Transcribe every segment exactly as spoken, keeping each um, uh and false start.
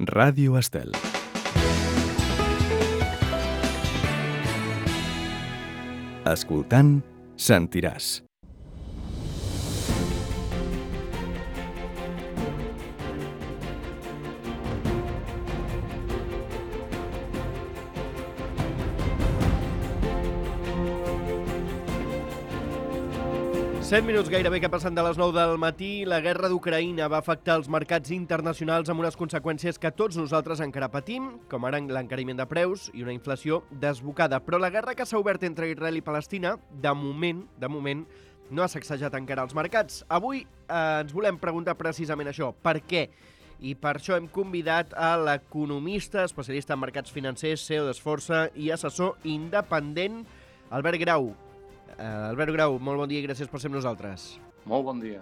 Ràdio Estel. Escoltant, sentiràs. set minuts gairebé que passen de les nou del matí. La guerra d'Ucraïna va afectar els mercats internacionals amb unes conseqüències que tots nosaltres encara patim, com ara l'encariment de preus i una inflació desbocada. Però la guerra que s'ha obert entre Israel i Palestina, de moment, de moment, no ha sacsejat encara els mercats. Avui eh, ens volem preguntar precisament això, per què? I per això hem convidat a l'economista, especialista en mercats financers, C E O d'Esforça i assessor independent, Albert Grau. Uh, Albert Grau, molt bon dia i gràcies per ser amb nosaltres. Molt bon dia.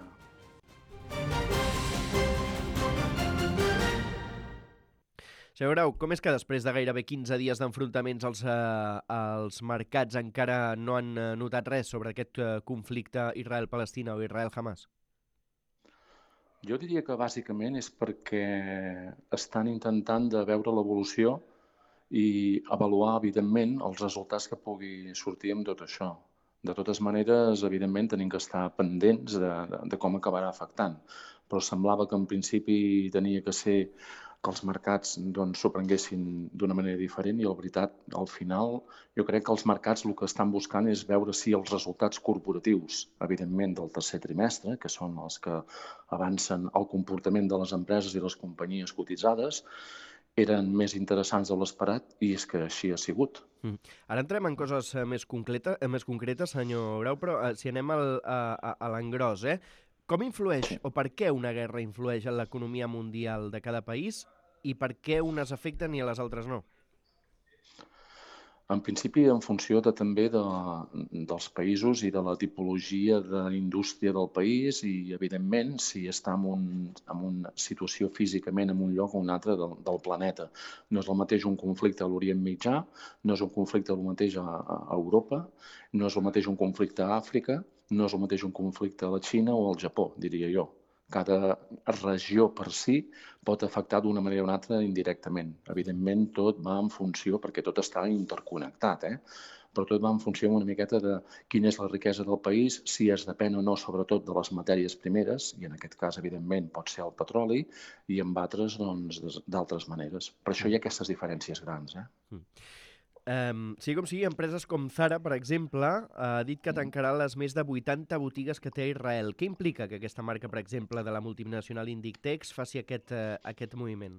Senyor Grau, com és que després de gairebé quinze dies d'enfrontaments als, uh, als mercats encara no han uh, notat res sobre aquest uh, conflicte Israel-Palestina o Israel-Hamas? Jo diria que bàsicament és perquè estan intentant de veure l'evolució i avaluar, evidentment, els resultats que pugui sortir amb tot això. De totes maneres, evidentment, tenim que estar pendents de, de, de com acabarà afectant. Però semblava que en principi tenia que ser que els mercats doncs, s'ho prenguessin d'una manera diferent i, la veritat, al final, jo crec que els mercats el que estan buscant és veure si els resultats corporatius, evidentment, del tercer trimestre, que són els que avancen el comportament de les empreses i les companyies cotitzades, eren més interessants de l'esperat i és que així ha sigut. Mm. Ara entrem en coses eh, més, concreta, eh, més concretes, senyor Grau, però eh, si anem al, a, a, a l'engròs, eh? Com influeix o per què una guerra influeix en l'economia mundial de cada país i per què unes afecten i a les altres no? En principi, en funció de, també de, dels països i de la tipologia d'indústria del país i, evidentment, si està en, un, en una situació físicament en un lloc o un altre del, del planeta. No és el mateix un conflicte a l'Orient Mitjà, no és un conflicte el mateix a, a Europa, no és el mateix un conflicte a Àfrica, no és el mateix un conflicte a la Xina o al Japó, diria jo. Cada regió per si pot afectar d'una manera o una altra indirectament. Evidentment, tot va en funció, perquè tot està interconnectat, eh? però tot va en funció una miqueta de quina és la riquesa del país, si es depèn o no, sobretot, de les matèries primeres, i en aquest cas, evidentment, pot ser el petroli, i en altres, doncs, d'altres maneres. Per això hi ha aquestes diferències grans. Eh? Mm. Um, sigui com sigui, empreses com Zara, per exemple, ha dit que tancarà les més de vuitanta botigues que té a Israel. Què implica que aquesta marca, per exemple, de la multinacional Inditex faci aquest, uh, aquest moviment?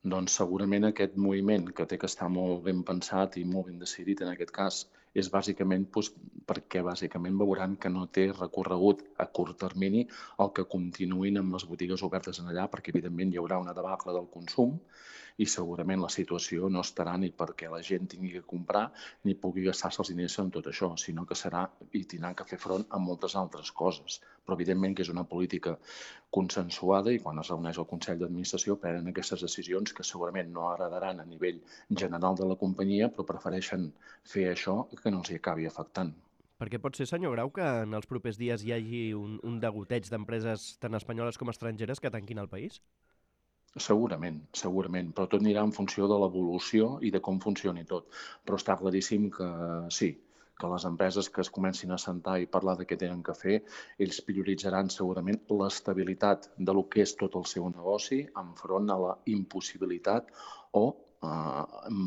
Doncs segurament aquest moviment, que té que estar molt ben pensat i molt ben decidit en aquest cas, és bàsicament doncs, perquè bàsicament veuran que no té recorregut a curt termini el que continuïn amb les botigues obertes en allà, perquè evidentment hi haurà una debacle del consum i segurament la situació no estarà ni perquè la gent tingui que comprar ni pugui gastar-se els diners en tot això, sinó que serà i tindrà que fer front a moltes altres coses. Però evidentment que és una política consensuada i quan es reuneix el Consell d'Administració prenen aquestes decisions que segurament no agradaran a nivell general de la companyia, però prefereixen fer això que no els hi acabi afectant. Perquè pot ser, senyor Grau, que en els propers dies hi hagi un, un degoteig d'empreses tant espanyoles com estrangeres que tanquin el país? Segurament, segurament, però tot anirà en funció de l'evolució i de com funcioni tot. Però està claríssim que sí, que les empreses que es comencin a sentar i parlar de què tenen que fer, ells prioritzaran segurament l'estabilitat de lo que és tot el seu negoci enfront a la impossibilitat o eh,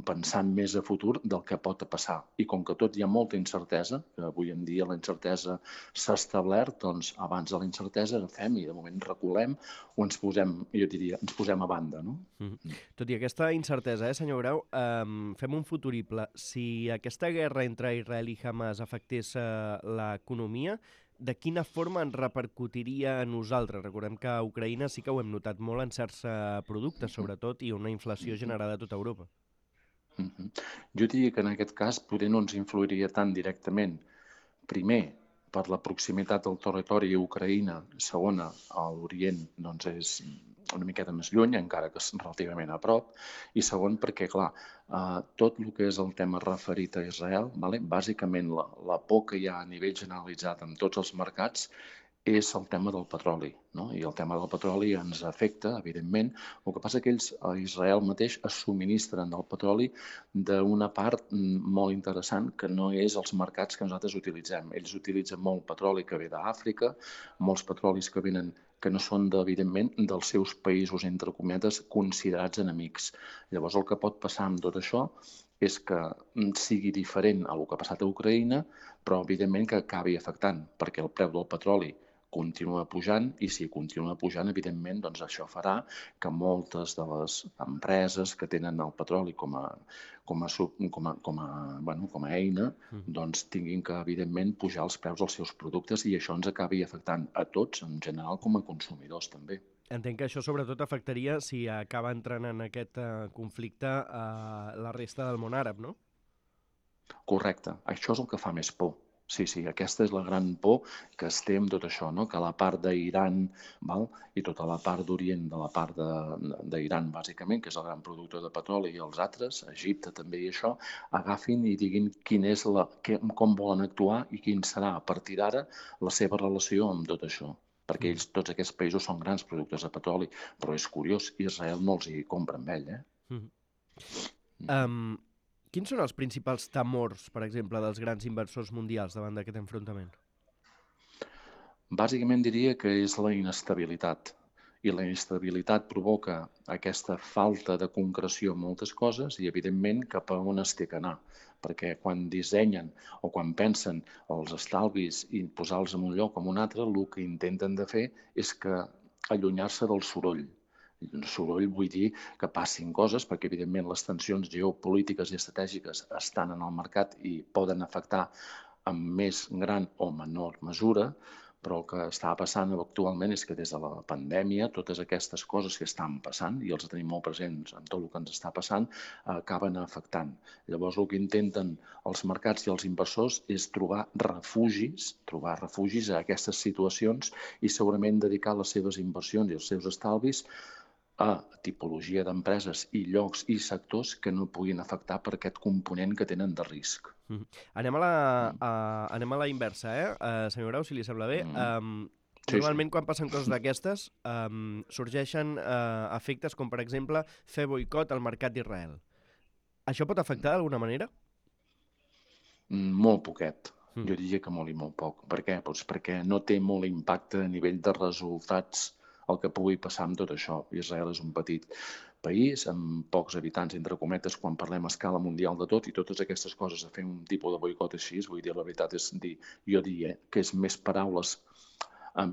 pensant més a futur del que pot passar. I com que tot hi ha molta incertesa, que avui en dia la incertesa s'ha establert, doncs abans de la incertesa agafem i de moment reculem o ens posem, jo diria, ens posem a banda, no? Mm. Tot i aquesta incertesa, eh, senyor Grau, um, fem un futurible. Si aquesta guerra entre Israel i Hamas afectés uh, l'economia, de quina forma ens repercutiria a nosaltres? Recordem que a Ucraïna sí que ho hem notat molt en certs uh, productes, sobretot, i una inflació generada a tota Europa. Uh-huh. Jo diria que en aquest cas poder no ens influiria tan directament. Primer, per la proximitat del territori a Ucraïna, segona, a l'Orient doncs és una miqueta més lluny, encara que és relativament a prop, i segon perquè, clar, eh, tot el que és el tema referit a Israel, vale? Bàsicament la, la por que hi ha a nivell generalitzat en tots els mercats és el tema del petroli, no? I el tema del petroli ens afecta, evidentment. El que passa que ells, a Israel mateix, es subministren del petroli d'una part molt interessant que no és els mercats que nosaltres utilitzem. Ells utilitzen molt petroli que ve d'Àfrica, molts petrolis que venen que no són, evidentment, dels seus països, entre cometes, considerats enemics. Llavors, el que pot passar amb tot això és que sigui diferent a el que ha passat a Ucraïna, però, evidentment, que acabi afectant, perquè el preu del petroli continua pujant i si continua pujant, evidentment, doncs això farà que moltes de les empreses que tenen el petroli com a, com a, com a, com a, bueno, com a eina doncs tinguin que, evidentment, pujar els preus dels seus productes i això ens acabi afectant a tots, en general, com a consumidors també. Entenc que això sobretot afectaria si acaba entrant en aquest uh, conflicte uh, la resta del món àrab, no? Correcte. Això és el que fa més por. Sí, sí, aquesta és la gran por que es té amb tot això, no? Que la part d'Iran i tota la part d'Orient de la part d'Iran, bàsicament, que és el gran productor de petroli, i els altres, Egipte també i això, agafin i diguin quin és la, que, com volen actuar i quin serà a partir d'ara la seva relació amb tot això. Perquè ells, tots aquests països són grans productors de petroli, però és curiós, Israel no els hi compra amb ell, eh? Mm. Um, quins són els principals temors, per exemple, dels grans inversors mundials davant d'aquest enfrontament? Bàsicament diria que és la inestabilitat. I la inestabilitat provoca aquesta falta de concreció en moltes coses i, evidentment, cap a on es té que anar. Perquè quan dissenyen o quan pensen els estalvis i posar-los en un lloc o en un altre, el que intenten de fer és que allunyar-se del soroll. El soroll vull dir que passin coses, perquè evidentment les tensions geopolítiques i estratègiques estan en el mercat i poden afectar en més gran o menor mesura, però el que està passant actualment és que des de la pandèmia totes aquestes coses que estan passant, i els tenim molt presents en tot el que ens està passant, acaben afectant. Llavors el que intenten els mercats i els inversors és trobar refugis, trobar refugis a aquestes situacions i segurament dedicar les seves inversions i els seus estalvis a tipologia d'empreses i llocs i sectors que no puguin afectar per aquest component que tenen de risc. Mm. Anem a la, a, anem a la inversa, eh? Uh, senyor Grau, si li sembla bé. Mm. Um, Sí, normalment, sí. quan passen coses d'aquestes, um, sorgeixen uh, efectes com, per exemple, fer boicot al mercat d'Israel. Això pot afectar d'alguna manera? Mm, molt poquet. Mm. Jo diria que molt i molt poc. Per què? Doncs perquè no té molt impacte a nivell de resultats el que pugui passar amb tot això. Israel és un petit país amb pocs habitants, entre cometes, quan parlem a escala mundial de tot, i totes aquestes coses, a fer un tipus de boicot així, vull dir, la veritat és dir, jo diria que és més paraules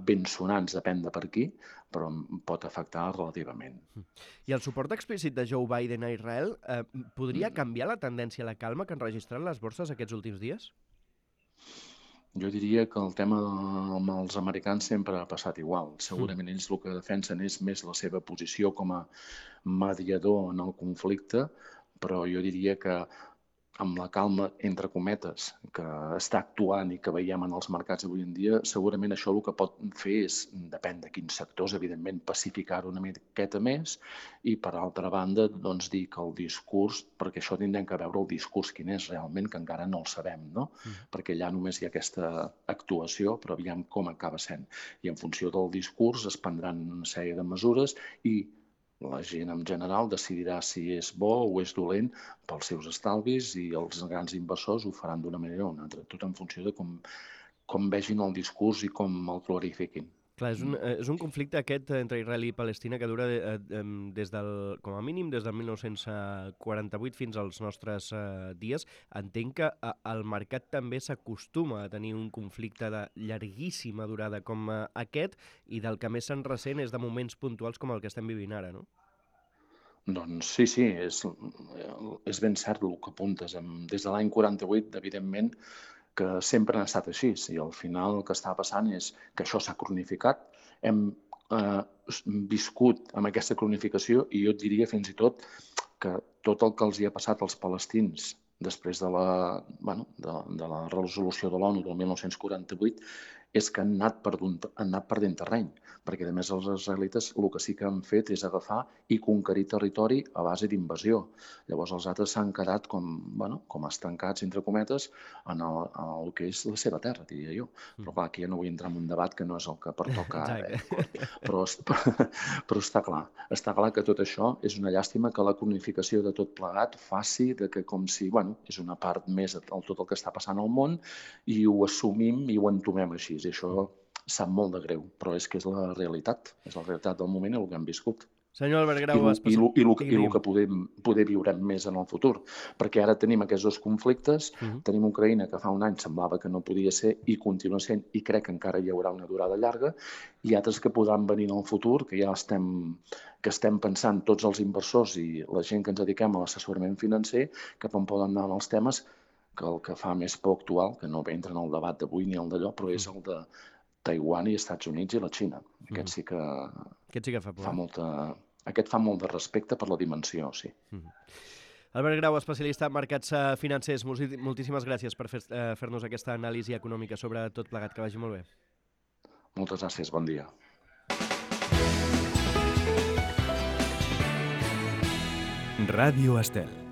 ben sonants, depèn de per qui, però pot afectar relativament. I el suport explícit de Joe Biden a Israel eh, podria canviar la tendència a la calma que han registrat les borses aquests últims dies? Jo diria que el tema amb els americans sempre ha passat igual. Segurament ells el que defensen és més la seva posició com a mediador en el conflicte, però jo diria que amb la calma, entre cometes, que està actuant i que veiem en els mercats avui en dia, segurament això el que pot fer és, depèn de quins sectors, evidentment, pacificar-ho una miqueta més i, per altra banda, doncs dir que el discurs, perquè això tindrem que veure el discurs quin és realment, que encara no el sabem, no? Mm. Perquè allà només hi ha aquesta actuació, però aviam com acaba sent. I en funció del discurs es prendran una sèrie de mesures i la gent en general decidirà si és bo o és dolent pels seus estalvis i els grans inversors ho faran d'una manera o una altra, tot en funció de com, com vegin el discurs i com el glorifiquin. Clar, és un, és un conflicte aquest entre Israel i Palestina que dura de, de, des del, com a mínim des del mil nou-cents quaranta-vuit fins als nostres uh, dies. Entenc que uh, el mercat també s'acostuma a tenir un conflicte de llarguíssima durada com uh, aquest i del que més se'n ressent és de moments puntuals com el que estem vivint ara, no? Doncs sí, sí, és, és ben cert el que apuntes. Des de l'any quaranta-vuit, evidentment, que sempre han estat així, i al final el que està passant és que això s'ha cronificat, hem eh, viscut amb aquesta cronificació i jo et diria fins i tot que tot el que els hi ha passat als palestins després de la, bueno, de, de la resolució de l'ONU del mil nou-cents quaranta-vuit és que han anat perdent, han anat perdent terreny, perquè a més els israelites el que sí que han fet és agafar i conquerir territori a base d'invasió. Llavors els altres s'han quedat com, bueno, com estancats, entre cometes, en el, en el que és la seva terra, diria jo. Però clar, aquí ja no vull entrar en un debat que no és el que pertoca ara. Eh? Però, però està clar, està clar que tot això és una llàstima que la cronificació de tot plegat faci de que com si, bueno, és una part més de tot el que està passant al món i ho assumim i ho entomem així. I això sap molt de greu, però és que és la realitat, és la realitat del moment i el que hem viscut. Senyor Albert Grau, I el, i el, i el, i el especial... que podem, poder viurem més en el futur, perquè ara tenim aquests dos conflictes, uh-huh. tenim Ucraïna que fa un any semblava que no podia ser i continua sent, i crec que encara hi haurà una durada llarga, i altres que podran venir en el futur, que ja estem, que estem pensant tots els inversors i la gent que ens dediquem a l'assessorament financer, cap on poden anar els temes, que el que fa més por actual, que no entra en el debat d'avui ni el d'allò, però és el de Taiwan i Estats Units i la Xina. Aquest sí que, Aquest sí que fa por. Fa molta... Aquest fa molt de respecte per la dimensió, sí. Mm-hmm. Albert Grau, especialista en mercats financers, moltíssimes gràcies per fer, eh, fer-nos aquesta anàlisi econòmica sobre tot plegat. Que vagi molt bé. Moltes gràcies, bon dia. Ràdio Estel.